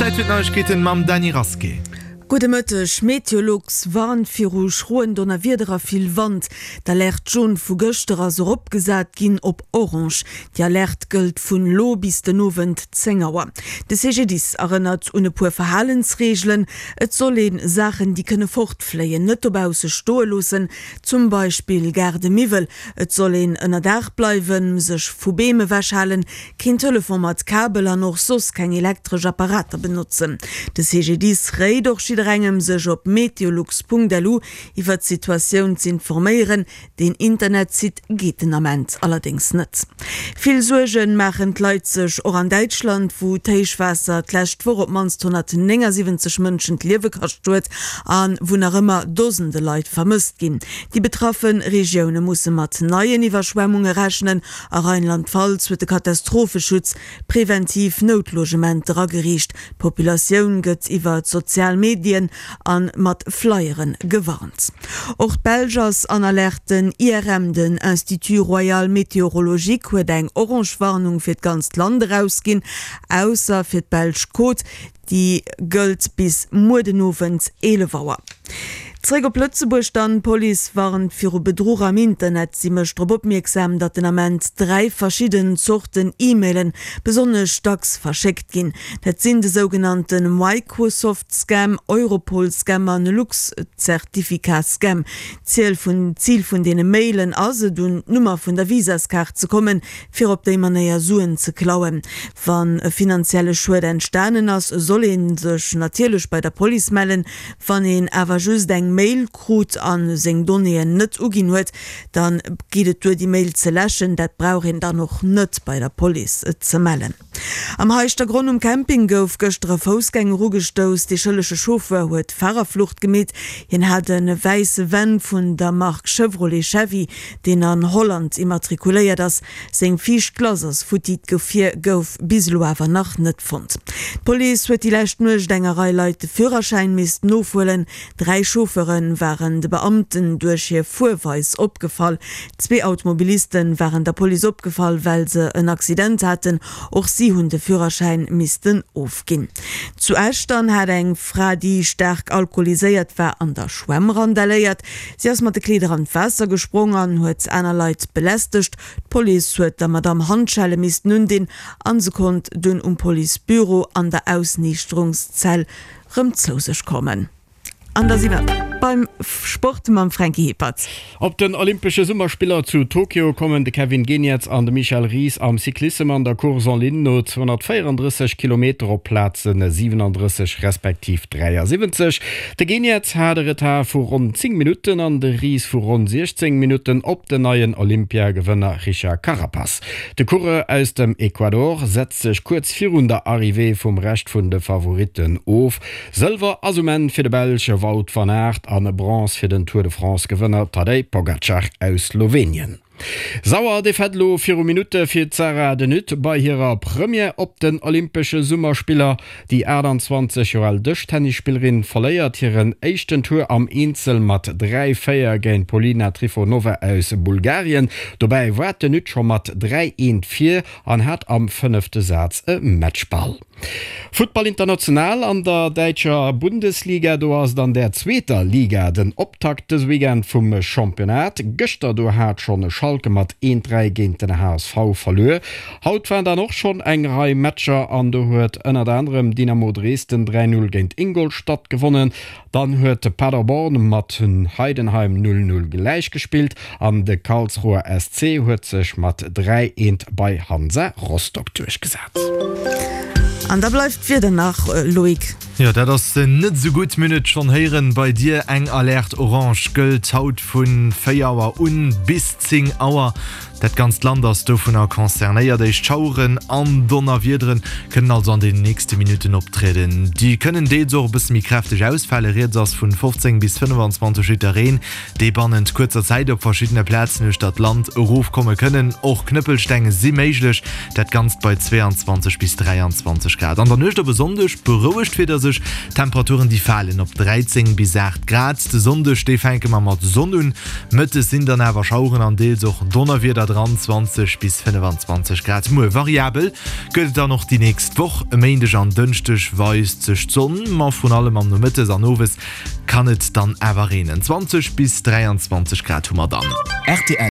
Zäit fir d'Neiegkeeten mam Dany Rasqué. Gudde Mëtteg, Meteolux warnt viru schroen Donnerwieder a vill Wand. D'Alerte jaune vu gëschter ass eropgesat ginn op orange. Déi Alerte gëllt vun elo bis den Owend 10 Auer. De CGDIS erënnert un e puer Verhalensreegelen, Et soll ee Saachen, déi kënne fortfléien, net dobausse stoe loossen, zum Beispill Gaardemiwwel. Et soll een ënnerdaach bleiwen, sech vu Beem ewechhalen, keen Telefon mat Kabel an och soss keng elektresch Apparater benotzen. De CGDIS réit och jidderengem, sech op meteolux.lu iwwer d'Situatioun z'informéieren. Deen Internetsite geet den Ament allerdéngs net. Vill Suerge maachen d'Leit sech och an Däitschland, wou d'Héichwaasser d'lescht Woch op d'mannst 179 Mënschen d'Liewe kascht huet a wou nach ëmmer Dosende Leit vermësst ginn. Déi betraffe Regioune musse mat neien Iwwerschwemmunge rechnen. A Rheinland-Pfalz huet de Katastropheschutz preventiv Noutlogementer ageriicht. D'Populatioun gëtt iwwer d'sozial Medien a mat Flyere gewarnt. Och d'Belsch ass an Alerte. Den IRM, den Institut Royal Météorologique, huet eng orange Warnung fir d'ganzt Land erausginn, ausser fir d'belsch Côte. Déi gëllt bis muer den Owend 11 Auer. Zeréck op Lëtzebuerg dann, D'Police warnt viru Bedruch am Internet. Si mécht drop opmierksam, datt den Ament 3 verschidden Zorten E-Mailen besonnesch dacks verschéckt ginn. Dat sinn de sougenannte Microsoft-Scam, Europol-Scam an Lux-Zertifikat-Scam. D'Ziel vun Zil vun deene Mailen ass et, un d'Nummer vun der Visaskaart ze kommen, fir op déi Manéier Suen ze klauen. Wann e finanzielle Schued entstanen ass, soll ee sech natierlech bei der Police mellen. Wann een awer just eng Mail krut a seng Donnéeën net uginn huet, da geet et duer déi Mail ze läschen. Dat brauch een dann och net bei der Police ze mellen. Am Heischtergronn um Camping gouf gëschter e Foussgänger ugestouss. Dee schëllege Chauffeur huet Farerflucht gemeet. Hien hat e wäisse Van vun der Mark Chevrolet Chevy, deen an Holland immatrikuléiert ass. Seng viischt Glace ass futti, d'Gefier gouf bis elo awer nach net fonnt. D'Police huet déi lescht Nuecht enger Rei Leit de Führerschäin missten ofhuelen. 3 Chauffeure waren de Beamten duerch hir Fuerweis opgefall. Zwee Automobiliste waren der Police opgefall, well se en Accident haten. Och si hunn de Führerschäin missten ofginn. Zu Esch dann hat eng Fra, déi staark alkoholiséiert war, an der Schwämm randaléiert. Si ass mat de Kleeder an d'Waasser gesprong an huet aner Leit belästegt. D'Police huet der Madamm Handschelle missten undinn an se konnt dunn um Policebüro an der Ausniichterungszell rëm zou sech kommen. An da si mer beim Sport mam Franky Hippert. Op den Olympesche Summerspiller zu Tokio kommen de Kevin Geniets an de Michel Ries am Cyclissem an der Course en ligne no 234 Kilometer op Plaze 37 respektiv 73. De Geniets hat e Retard vu ronn 10 Minutten an de Ries vu ronn 16 Minutten op den neien Olympiagewënner Richard Carapaz. De Coureur aus dem Ecuador setzt sech kuerz virun der Arrivée vum Rescht vun de Favoritten of. Sëlwer ass um Enn fir de Belsch Wout van Aert an Bronze fir den Tour de France-Gewënner Tadej Pogacar aus Slowenien. Sauer Defaite elo viru Minutte fir d'Sarah de Nutte bei hirer Première op den Olympesche Summerspiller. Déi 28 Joer al Dëschtennisspillerin verléiert hiren éischten Tour am Eenzel mat 3, 4 géint d'Polina Trifonova aus Bulgarien. Dobäi war d'de Nutte scho mat 3, 1 vir an hat am fënnefte Saz e Matchball. Futtball international an der däitscher Bundesliga, do ass et an der zweeter Liga den Optakt dëse Weekend vum Championnat. Gëschter do hat schonn Schalke mat 1, 3 géint den HSV verluer. Haut waren dann och schonn eng Rei Matcher an do huet ënnert anerem Dynamo Dresden 3, 0 géint Ingolstadt gewonnen. Dann huet Paderborn mat Heidenheim 0, 0 gläich gespillt an de Karlsruher SC huet sech mat 3, 1 bei Hansa Rostock duerchgesat. An da bleift d'Wieder nach, Loïc. Jo, dat ass net esou gutt. Mir hunn et schonn héieren bei dir. Eng Alerte orange gëllt haut vu 4 Auer un bis 10 Auer. Dat ganzt Land ass dovunner concernéiert. Éischt Schaueren an Donnerwiedere kënnen also an den nächste Minutten optrieden. Déi kënnen deels och e bësse méi kräfteg ausfalen. Rieds ass vun 15 bis 25 Liter Reen, déi bannent kuerzer Zäit op verschiddene Plazen uechter d'Land erofkomme kënnen. Och Knëppelsteng si méiglech, dat Ganzt bei 22 bis 23 Grad. An der Nuecht op e Sonndeg berouegt d'Wieder sech, d'Temperaturen déi falen op 13 bis 8 Grad. De Sonndeg, dee fänke mer mat Sonn un, mëttes sinn dann awer Schaueren an deels och Donnerwieder dran. dran, 20 bis 25 Grad. Muer variabel gëtt et dann och déi nächst Woch. E Méindeg an Dënschdeg weist sech d'Sonn, ma vrun allem am Nomëttes an Owes kann et dann awer reenen. 20 bis 23 Grad hu mer dann. Rtl.